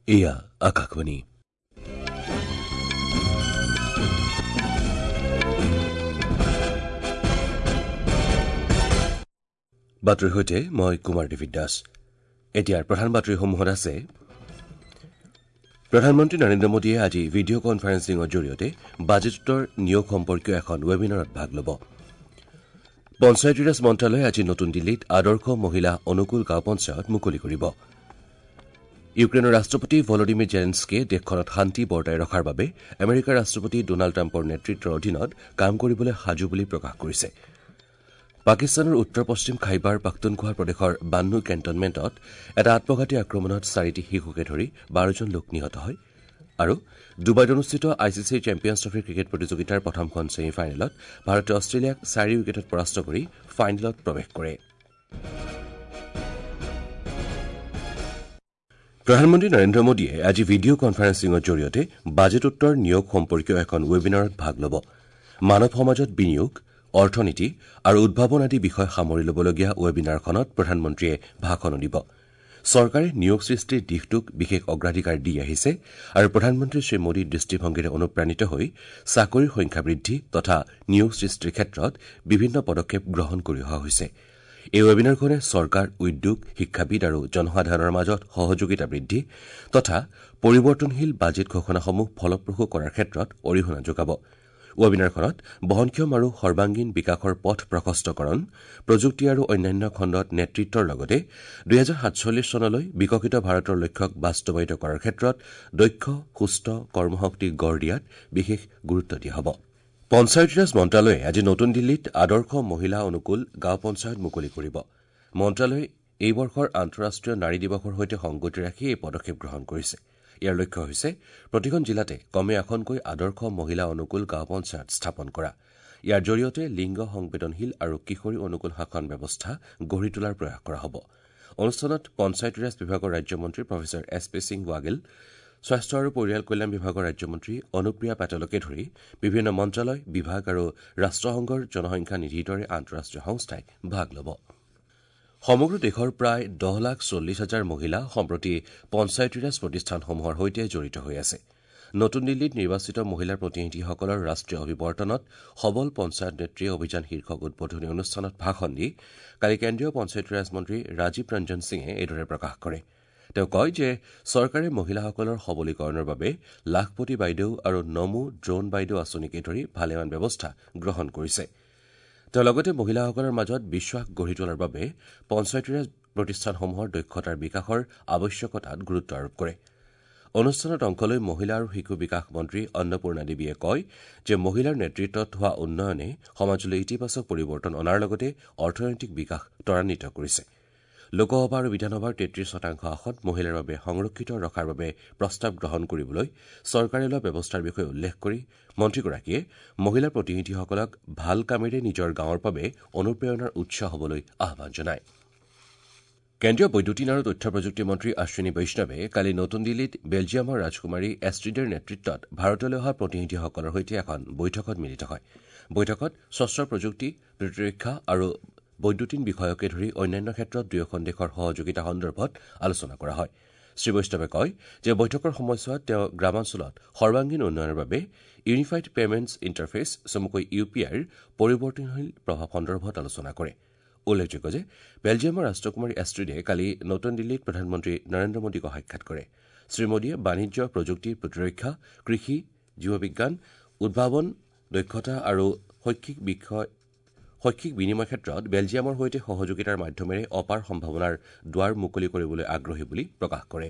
এয়া আকাশবাণী। বাতৰিৰ সৈতে মই কুমাৰ ডেভিড দাস। এতিয়াৰ প্ৰধান বাতৰিসমূহত আছে: প্ৰধানমন্ত্ৰী নৰেন্দ্ৰ মোদীয়ে আজি ভিডিঅ' কনফাৰেন্সিঙৰ জৰিয়তে বাজেটোত্তৰ নিয়োগ সম্পৰ্কীয় এখন ৱেবিনাৰত ভাগ ল'ব। পঞ্চায়তীৰাজ মন্ত্ৰালয়ে আজি নতুন দিল্লীত আদৰ্শ মহিলা অনুকূল গাঁও পঞ্চায়ত মুকলি কৰিব। ইউক্ৰেইনৰ ৰাষ্ট্ৰপতি ভলডিমিৰ জেলেনস্কিয়ে দেশখনত শান্তি বৰ্তাই ৰখাৰ বাবে আমেৰিকাৰ ৰাষ্ট্ৰপতি ডোনাল্ড ট্ৰাম্পৰ নেতৃত্বৰ অধীনত কাম কৰিবলৈ সাজু বুলি প্ৰকাশ কৰিছে। পাকিস্তানৰ উত্তৰ পশ্চিম খাইবাৰ পাখতুনখোৱা প্ৰদেশৰ বান্নু কেণ্টনমেণ্টত এটা আত্মঘাতী আক্ৰমণত চাৰিটি শিশুকে ধৰি 12জন লোক নিহত হয়। আৰু ডুবাইত অনুষ্ঠিত I C চিৰ চেম্পিয়নছ ট্ৰফী ক্ৰিকেট প্ৰতিযোগিতাৰ প্ৰথমখন ছেমি ফাইনেলত ভাৰতে অষ্ট্ৰেলিয়াক 4 উইকেটত পৰাস্ত কৰি ফাইনেলত প্ৰৱেশ কৰে। প্ৰধানমন্ত্ৰী নৰেন্দ্ৰ মোদীয়ে আজি ভিডিঅ' কনফাৰেন্সিঙৰ জৰিয়তে বাজেটোত্তৰ নিয়োগ সম্পৰ্কীয় এখন ৱেবিনাৰত ভাগ ল'ব। মানৱ সমাজত বিনিয়োগ, অৰ্থনীতি আৰু উদ্ভাৱন আদি বিষয় সামৰি ল'বলগীয়া ৱেবিনাৰখনত প্ৰধানমন্ত্ৰীয়ে ভাষণো দিব। চৰকাৰে নিয়োগ সৃষ্টিৰ দিশটোক বিশেষ অগ্ৰাধিকাৰ দি আহিছে আৰু প্ৰধানমন্ত্ৰী শ্ৰী মোদীৰ দৃষ্টিভংগীৰে অনুপ্ৰাণিত হৈ চাকৰিৰ সংখ্যা বৃদ্ধি তথা নিয়োগ সৃষ্টিৰ ক্ষেত্ৰত বিভিন্ন পদক্ষেপ গ্ৰহণ কৰি অহা হৈছে। এই ৱেবিনাৰখনে চৰকাৰ, উদ্যোগ, শিক্ষাবিদ আৰু জনসাধাৰণৰ মাজত সহযোগিতা বৃদ্ধি তথা পৰিৱৰ্তনশীল বাজেট ঘোষণাসমূহ ফলপ্ৰসূ কৰাৰ ক্ষেত্ৰত অৰিহণা যোগাব। ৱেবিনাৰখনত বহনক্ষম আৰু সৰ্বাংগীন বিকাশৰ পথ প্ৰশস্তকৰণ, প্ৰযুক্তি আৰু অন্যান্য খণ্ডত নেতৃত্বৰ লগতে 2047 চনলৈ বিকশিত ভাৰতৰ লক্ষ্যক বাস্তৱায়িত কৰাৰ ক্ষেত্ৰত দক্ষ, সুস্থ কৰ্মশক্তি গঢ় দিয়াত বিশেষ গুৰুত্ব দিয়া হ'ব। পঞ্চায়তীৰাজ মন্ত্ৰালয়ে আজি নতুন দিল্লীত আদৰ্শ মহিলা অনুকূল গাঁও পঞ্চায়ত মুকলি কৰিব। মন্ত্ৰালয়ে এই বৰ্ষৰ আন্তঃৰাষ্ট্ৰীয় নাৰী দিৱসৰ সৈতে সংগতি ৰাখি এই পদক্ষেপ গ্ৰহণ কৰিছে। ইয়াৰ লক্ষ্য হৈছে প্ৰতিখন জিলাতে কমেও এখনকৈ আদৰ্শ মহিলা অনুকূল গাঁও পঞ্চায়ত স্থাপন কৰা। ইয়াৰ জৰিয়তে লিংগ সংবেদনশীল আৰু কিশোৰী অনুকূল শাসন ব্যৱস্থা গঢ়ি তোলাৰ প্ৰয়াস কৰা হ'ব। অনুষ্ঠানত পঞ্চায়তীৰাজ বিভাগৰ ৰাজ্যমন্ত্ৰী professor S P Singh Baghel, স্বাস্থ্য আৰু পৰিয়াল কল্যাণ বিভাগৰ ৰাজ্যমন্ত্ৰী অনুপ্ৰিয়া পেটেলকে ধৰি বিভিন্ন মন্ত্ৰালয়, বিভাগ আৰু ৰাষ্ট্ৰসংঘৰ জনসংখ্যা নিধিৰ দৰে আন্তঃৰাষ্ট্ৰীয় সংস্থাই ভাগ ল'ব। সমগ্ৰ দেশৰ প্ৰায় 10,40,000 মহিলা সম্প্ৰতি পঞ্চায়তীৰাজ প্ৰতিষ্ঠানসমূহৰ সৈতে জড়িত হৈ আছে। নতুন দিল্লীত নিৰ্বাচিত মহিলা প্ৰতিনিধিসকলৰ ৰাষ্ট্ৰীয় অভিৱৰ্তনত সবল পঞ্চায়ত নেত্ৰী অভিযান শীৰ্ষক উদ্বোধনী অনুষ্ঠানত ভাষণ দি কালি কেন্দ্ৰীয় পঞ্চায়তীৰাজ মন্ত্ৰী ৰাজীৱ ৰঞ্জন সিঙে এইদৰে প্ৰকাশ কৰে। তেওঁ কয় যে চৰকাৰে মহিলাসকলৰ সবলীকৰণৰ বাবে লাখপতি বাইদেউ আৰু নমো ড্ৰোন বাইদেউ আঁচনিকে ধৰি ভালেমান ব্যৱস্থা গ্ৰহণ কৰিছে। তেওঁ লগতে মহিলাসকলৰ মাজত বিশ্বাস গঢ়ি তোলাৰ বাবে পঞ্চায়তীৰাজ প্ৰতিষ্ঠানসমূহৰ দক্ষতাৰ বিকাশৰ আৱশ্যকতাত গুৰুত্ব আৰোপ কৰে। অনুষ্ঠানত অংশ লৈ মহিলা আৰু শিশু বিকাশ মন্ত্ৰী অন্নপূৰ্ণা দেৱীয়ে কয় যে মহিলাৰ নেতৃত্বত হোৱা উন্নয়নে সমাজলৈ ইতিবাচক পৰিৱৰ্তন অনাৰ লগতে অৰ্থনৈতিক বিকাশ ত্বৰান্বিত কৰিছে। লোকসভা আৰু বিধানসভাৰ 33% আসন মহিলাৰ বাবে সংৰক্ষিত ৰখাৰ বাবে প্ৰস্তাৱ গ্ৰহণ কৰিবলৈ চৰকাৰে লোৱা ব্যৱস্থাৰ বিষয়ে উল্লেখ কৰি মন্ত্ৰীগৰাকীয়ে মহিলা প্ৰতিনিধিসকলক ভাল কামেৰে নিজৰ গাঁৱৰ বাবে অনুপ্ৰেৰণাৰ উৎস হ'বলৈ আহ্বান জনায়। কেন্দ্ৰীয় বৈদ্যুতিন আৰু তথ্য প্ৰযুক্তি মন্ত্ৰী অশ্বিনী বৈষ্ণৱে কালি নতুন দিল্লীত বেলজিয়ামৰ ৰাজকুমাৰী এষ্ট্ৰিডেৰ নেতৃত্বত ভাৰতলৈ অহা প্ৰতিনিধিসকলৰ সৈতে এখন বৈঠকত মিলিত হয়। বৈঠকত স্বচ্ছ প্ৰযুক্তি, প্ৰতিৰক্ষা আৰু বৈদ্যুতিন বিষয়কে ধৰি অন্যান্য ক্ষেত্ৰত দুয়োখন দেশৰ সহযোগিতা সন্দৰ্ভত আলোচনা কৰা হয়। শ্ৰীবৈষ্ণৱে কয় যে বৈঠকৰ সময়ছোৱাত তেওঁ গ্ৰামাঞ্চলত সৰ্বাংগীন উন্নয়নৰ বাবে ইউনিফাইড পেমেণ্টছ ইণ্টাৰফেচ চমুকৈ ইউ পি আইৰ পৰিৱৰ্তনশীল প্ৰভাৱ সন্দৰ্ভত আলোচনা কৰে। উল্লেখযোগ্য যে বেলজিয়ামৰ ৰাষ্ট্ৰকুমাৰী এষ্ট্ৰিডে কালি নতুন দিল্লীত প্ৰধানমন্ত্ৰী নৰেন্দ্ৰ মোদীক সাক্ষাৎ কৰে। শ্ৰীমোদীয়ে বাণিজ্য, প্ৰযুক্তি, প্ৰতিৰক্ষা, কৃষি, জীৱবিজ্ঞান, উদ্ভাৱন, দক্ষতা আৰু শৈক্ষিক বিনিময় ক্ষেত্ৰত বেলজিয়ামৰ সৈতে সহযোগিতাৰ মাধ্যমেৰে অপাৰ সম্ভাৱনাৰ দুৱাৰ মুকলি কৰিবলৈ আগ্ৰহী বুলি প্ৰকাশ কৰে।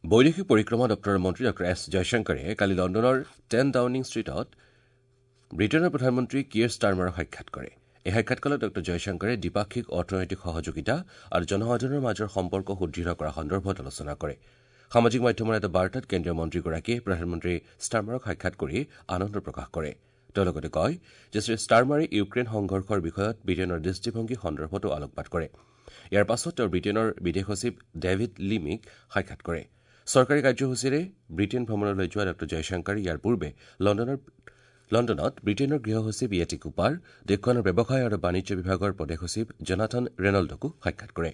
বৈদেশিক পৰিক্ৰমা দপ্তৰৰ মন্ত্ৰী ডঃ এছ জয়শংকৰে কালি লণ্ডনৰ 10 ডাউনিং ষ্ট্ৰীটত ব্ৰিটেইনৰ প্ৰধানমন্ত্ৰী কিয়েৰ ষ্টাৰমাৰক সাক্ষাৎ কৰে। এই সাক্ষাৎকালত ডঃ জয়শংকৰে দ্বিপাক্ষিক অৰ্থনৈতিক সহযোগিতা আৰু জনসাধাৰণৰ মাজৰ সম্পৰ্ক সুদৃঢ় কৰা সন্দৰ্ভত আলোচনা কৰে। সামাজিক মাধ্যমৰ এটা বাৰ্তাত কেন্দ্ৰীয় মন্ত্ৰীগৰাকীয়ে প্ৰধানমন্ত্ৰী ষ্টাৰমাৰক সাক্ষাৎ কৰি আনন্দ প্ৰকাশ কৰে। তেওঁ লগতে কয় যে শ্ৰী ষ্টাৰমাৰে ইউক্ৰেইন সংঘৰ্ষৰ বিষয়ত ব্ৰিটেইনৰ দৃষ্টিভংগী সন্দৰ্ভতো আলোকপাত কৰে। ইয়াৰ পাছত তেওঁ ব্ৰিটেইনৰ বিদেশ সচিব ডেভিড লিমিক সাক্ষাৎ কৰে। চৰকাৰী কাৰ্যসূচীৰে ব্ৰিটেইন ভ্ৰমণলৈ যোৱা ডঃ জয়শংকৰে ইয়াৰ পূৰ্বে লণ্ডনত ব্ৰিটেইনৰ গৃহ সচিব য়েটি কুপাৰ, দেশখনৰ ব্যৱসায় আৰু বাণিজ্য বিভাগৰ প্ৰদেশ সচিব জনাথন ৰেনল্ডকো সাক্ষাৎ কৰে।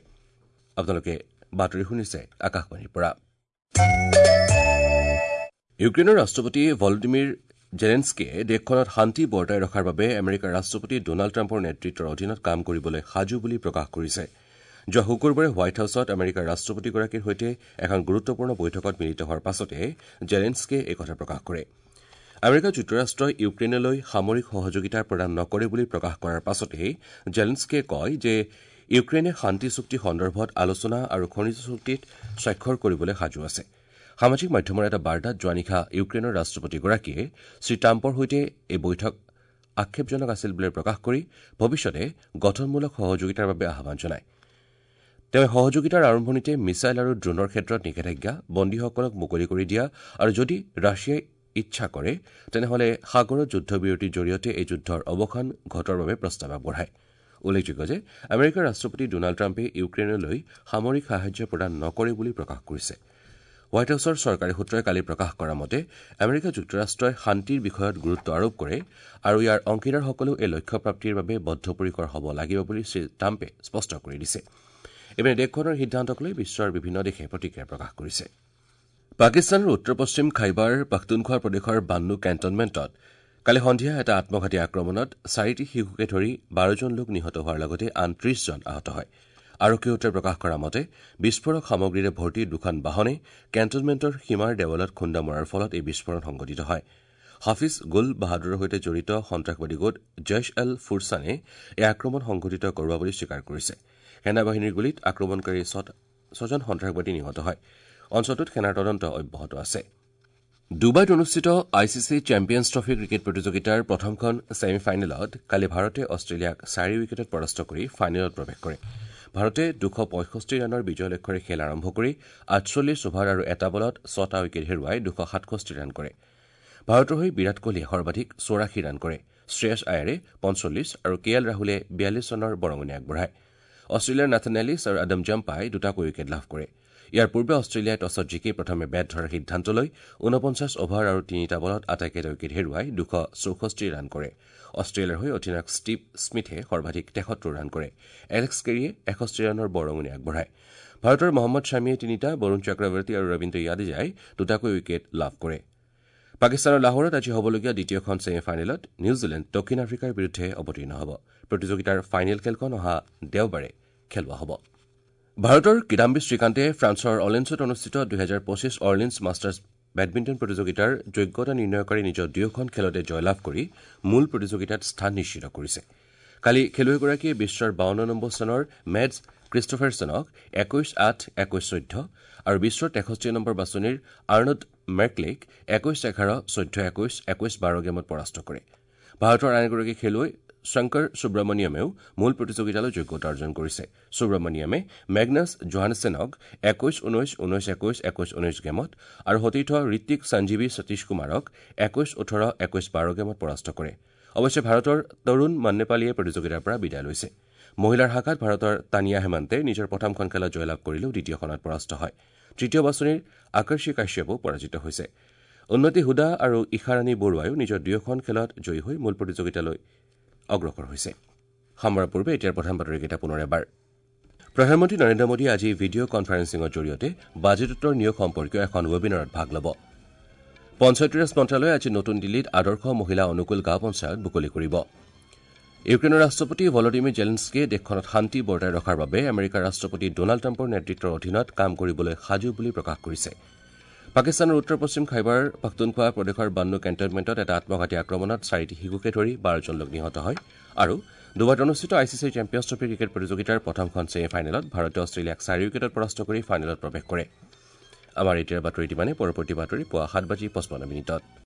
আপোনালোকে বাতৰি শুনিছে আকাশবাণীৰ পৰা। ইউক্ৰেইনৰ ৰাষ্ট্ৰপতি ভলডিমিৰ জেলেনস্কিয়ে দেশখনত শান্তি বৰ্তাই ৰখাৰ বাবে আমেৰিকাৰ ৰাষ্ট্ৰপতি ডনাল্ড ট্ৰাম্পৰ নেতৃত্বৰ অধীনত কাম কৰিবলৈ সাজু বুলি প্ৰকাশ কৰিছে। যোৱা শুকুৰবাৰে হোৱাইট হাউছত আমেৰিকাৰ ৰাষ্ট্ৰপতিগৰাকীৰ সৈতে এখন গুৰুত্বপূৰ্ণ বৈঠকত মিলিত হোৱাৰ পাছতে জেলেনস্কিয়ে এই কথা প্ৰকাশ কৰে। আমেৰিকা যুক্তৰাষ্ট্ৰই ইউক্ৰেইনলৈ সামৰিক সহযোগিতা প্ৰদান নকৰে বুলি প্ৰকাশ কৰাৰ পাছতেই জেলেনস্কিয়ে কয় যে ইউক্ৰেইনে শান্তি চুক্তি সন্দৰ্ভত আলোচনা আৰু খনিজ চুক্তিত স্বাক্ষৰ কৰিবলৈ সাজু আছে। সামাজিক মাধ্যমৰ এটা বাৰ্তাত যোৱা নিশা ইউক্ৰেইনৰ ৰাষ্ট্ৰপতিগৰাকীয়ে শ্ৰীট্ৰাম্পৰ সৈতে এই বৈঠক আক্ষেপজনক আছিল বুলি প্ৰকাশ কৰি ভৱিষ্যতে গঠনমূলক সহযোগিতাৰ বাবে আহ্বান জনায়। তেওঁ সহযোগিতাৰ আৰম্ভণিতে মিছাইল আৰু ড্ৰোনৰ ক্ষেত্ৰত নিষেধাজ্ঞা, বন্দীসকলক মুকলি কৰি দিয়া আৰু যদি ৰাছিয়াই ইচ্ছা কৰে তেনেহলে সাগৰত যুদ্ধবিৰতিৰ জৰিয়তে এই যুদ্ধৰ অৱসান ঘটোৱাৰ বাবে প্ৰস্তাৱ আগবঢ়ায়। উল্লেখযোগ্য যে আমেৰিকাৰ ৰাষ্ট্ৰপতি ডনাল্ড ট্ৰাম্পে ইউক্ৰেইনলৈ সামৰিক সাহায্য প্ৰদান নকৰে বুলি প্ৰকাশ কৰিছে। হোৱাইট হাউছৰ চৰকাৰী সূত্ৰই কালি প্ৰকাশ কৰা মতে আমেৰিকা যুক্তৰাষ্ট্ৰই শান্তিৰ বিষয়ত গুৰুত্ব আৰোপ কৰে আৰু ইয়াৰ অংশীদাৰসকলেও এই লক্ষ্যপ্ৰাপ্তিৰ বাবে বদ্ধপৰিকৰ হ'ব লাগিব বুলি শ্ৰীট্ৰাম্পে স্পষ্ট কৰি দিছে। ইপিনে দেশখনৰ সিদ্ধান্তক লৈ বিশ্বৰ বিভিন্ন দেশে প্ৰতিক্ৰিয়া প্ৰকাশ কৰিছে। পাকিস্তানৰ উত্তৰ পশ্চিম খাইবাৰ পাখতুনখোৱা প্ৰদেশৰ বান্নু কেণ্টনমেণ্টত কালি সন্ধিয়া এটা আত্মঘাতী আক্ৰমণত 4টি শিশুকে ধৰি 12জন লোক নিহত হোৱাৰ লগতে আন 30জন আহত হয়। আৰক্ষী সূত্ৰই প্ৰকাশ কৰা মতে বিস্ফোৰক সামগ্ৰীৰে ভৰ্তি দুখন বাহনে কেণ্টনমেণ্টৰ সীমাৰ দেৱালত খুন্দা মৰাৰ ফলত এই বিস্ফোৰণ সংঘটিত হয়। হাফিজ গুল বাহাদুৰৰ সৈতে জড়িত সন্ত্ৰাসবাদী গোট জৈশ এল ফুৰছানে এই আক্ৰমণ সংঘটিত কৰোৱা বুলি স্বীকাৰ কৰিছে। সেনাবাহিনীৰ গুলীত আক্ৰমণকাৰী 6জন সন্ত্ৰাসবাদী নিহত হয়। অঞ্চলটোত সেনাৰ তদন্ত অব্যাহত আছে। ডুবাইত অনুষ্ঠিত I C C champions trophy cricket প্ৰতিযোগিতাৰ প্ৰথমখন ছেমি ফাইনেলত কালি ভাৰতে অষ্ট্ৰেলিয়াক 4 উইকেটত পৰাস্ত কৰি ফাইনেলত প্ৰৱেশ কৰে। ভাৰতে 265 ৰানৰ বিজয় লক্ষ্যৰে খেল আৰম্ভ কৰি 48 অভাৰ আৰু এটা বলত 6টা উইকেট হেৰুৱাই 267 ৰান কৰে। ভাৰতৰ হৈ বিৰাট কোহলীয়ে সৰ্বাধিক 84 ৰান কৰে। শ্ৰেয়স আয়াৰে 45 আৰু কে এল ৰাহুলে 42 ৰানৰ বৰঙণি আগবঢ়ায়। অষ্ট্ৰেলিয়াৰ নাথন এলিছ আৰু আদম জাম্পাই দুটাকৈ উইকেট লাভ কৰে। ইয়াৰ পূৰ্বে অষ্ট্ৰেলিয়াই টছত জিকি প্ৰথমে বেট ধৰাৰ সিদ্ধান্ত লৈ 49 অভাৰ আৰু 3টা বলত আটাইকেইটা উইকেট হেৰুৱাই 264 ৰান কৰে। অষ্ট্ৰেলিয়াৰ হৈ অধিনায়ক ষ্টিভ স্মিথে সৰ্বাধিক 73 ৰান কৰে। এলেক্স কেৰীয়ে 61 ৰানৰ বৰঙণি আগবঢ়ায়। ভাৰতৰ মহম্মদ শ্বামীয়ে 3টা, বৰুণ চক্ৰৱৰ্তী আৰু ৰবীন্দ্ৰ জাদেজাই দুটাকৈ উইকেট লাভ কৰে। পাকিস্তানৰ লাহোৰত আজি হ'বলগীয়া দ্বিতীয়খন ছেমি ফাইনেলত নিউজিলেণ্ড দক্ষিণ আফ্ৰিকাৰ বিৰুদ্ধে অৱতীৰ্ণ হ'ব। প্ৰতিযোগিতাৰ ফাইনেল খেলখন অহা দেওবাৰে খেলোৱা হ'ব। ভাৰতৰ কিদাম্বি শ্ৰীকান্তে ফ্ৰান্সৰ অৰ্লেন্সত অনুষ্ঠিত 2025 অৰ্লেন্স মাষ্টাৰ্ছ বেডমিণ্টন প্ৰতিযোগিতাৰ যোগ্যতা নিৰ্ণয়কাৰী নিজৰ দুয়োখন খেলতে জয়লাভ কৰি মূল প্ৰতিযোগিতাত স্থান নিশ্চিত কৰিছে। কালি খেলুৱৈগৰাকীয়ে বিশ্বৰ 52 নম্বৰ স্থানৰ মেটছ ক্ৰিষ্টফাৰছনক 21-8, 21-14 আৰু বিশ্বৰ 63 নম্বৰ বাছনিৰ আৰ্নড মেৰ্কলেক 21-11, 14-21, 21-12 গেমত পৰাস্ত কৰে। ভাৰতৰ আন এগৰাকী খেলুৱৈ শংকৰ সুব্ৰমণিয়ামেও মূল প্ৰতিযোগিতালৈ যোগ্যতা অৰ্জন কৰিছে। সুব্ৰমণিয়ামে মেগনাছ জোহানছেনক 21-19, 19-21, 21-19 গেমত আৰু সতীৰ্থ ঋত্বিক সঞ্জীৱী সতীশ কুমাৰক 21-18, 21-12 গেমত পৰাস্ত কৰে। অৱশ্যে ভাৰতৰ তৰুণ মান্নেপালীয়ে প্ৰতিযোগিতাৰ পৰা বিদায় লৈছে। মহিলাৰ শাখাত ভাৰতৰ তানিয়া হেমন্তে নিজৰ প্ৰথমখন খেলত জয়লাভ কৰিলেও দ্বিতীয়খনত পৰাস্ত হয়। তৃতীয় বাছনিৰ আকৰ্ষী কাশ্যপো পৰাজিত হৈছে। উন্নতি হুদা আৰু ঈশাৰাণী বৰুৱায়ো নিজৰ দুয়োখন খেলত জয়ী হৈ মূল প্ৰতিযোগিতালৈ অগ্ৰসৰ হৈছে। সামৰাৰ পূৰ্বে এতিয়াৰ প্ৰধান বাতৰিকেইটা পুনৰ এবাৰ। প্ৰধানমন্ত্ৰী নৰেন্দ্ৰ মোদীয়ে আজি ভিডিঅ' কনফাৰেন্সিঙৰ জৰিয়তে বাজেটোত্তৰ নিয়োগ সম্পৰ্কীয় এখন ৱেবিনাৰত ভাগ ল'ব। পঞ্চায়তীৰাজ মন্ত্ৰালয়ে আজি নতুন দিল্লীত আদৰ্শ মহিলা অনুকূল গাঁও পঞ্চায়ত মুকলি কৰিব। ইউক্ৰেইনৰ ৰাষ্ট্ৰপতি ভলডিমিৰ জেলেনস্কিয়ে দেশখনত শান্তি বৰ্তাই ৰখাৰ বাবে আমেৰিকাৰ ৰাষ্ট্ৰপতি ডনাল্ড ট্ৰাম্পৰ নেতৃত্বৰ অধীনত কাম কৰিবলৈ সাজু বুলি প্ৰকাশ কৰিছে। পাকিস্তানৰ উত্তৰ পশ্চিম খাইবাৰ পাখতুনখোৱা প্ৰদেশৰ বান্নু কেণ্টনমেণ্টত এটা আত্মঘাতী আক্ৰমণত 4টি শিশুকে ধৰি 12জন লোক নিহত হয়। আৰু ডুবাইত অনুষ্ঠিত I C C champions trophy cricket প্ৰতিযোগিতাৰ প্ৰথমখন ছেমি ফাইনেলত ভাৰতে অষ্ট্ৰেলিয়াক 4 উইকেটত পৰাস্ত কৰি ফাইনেলত প্ৰৱেশ কৰে। আমাৰ এতিয়াৰ বাতৰি ইমানে। পৰৱৰ্তী বাতৰি পুৱা 7:55।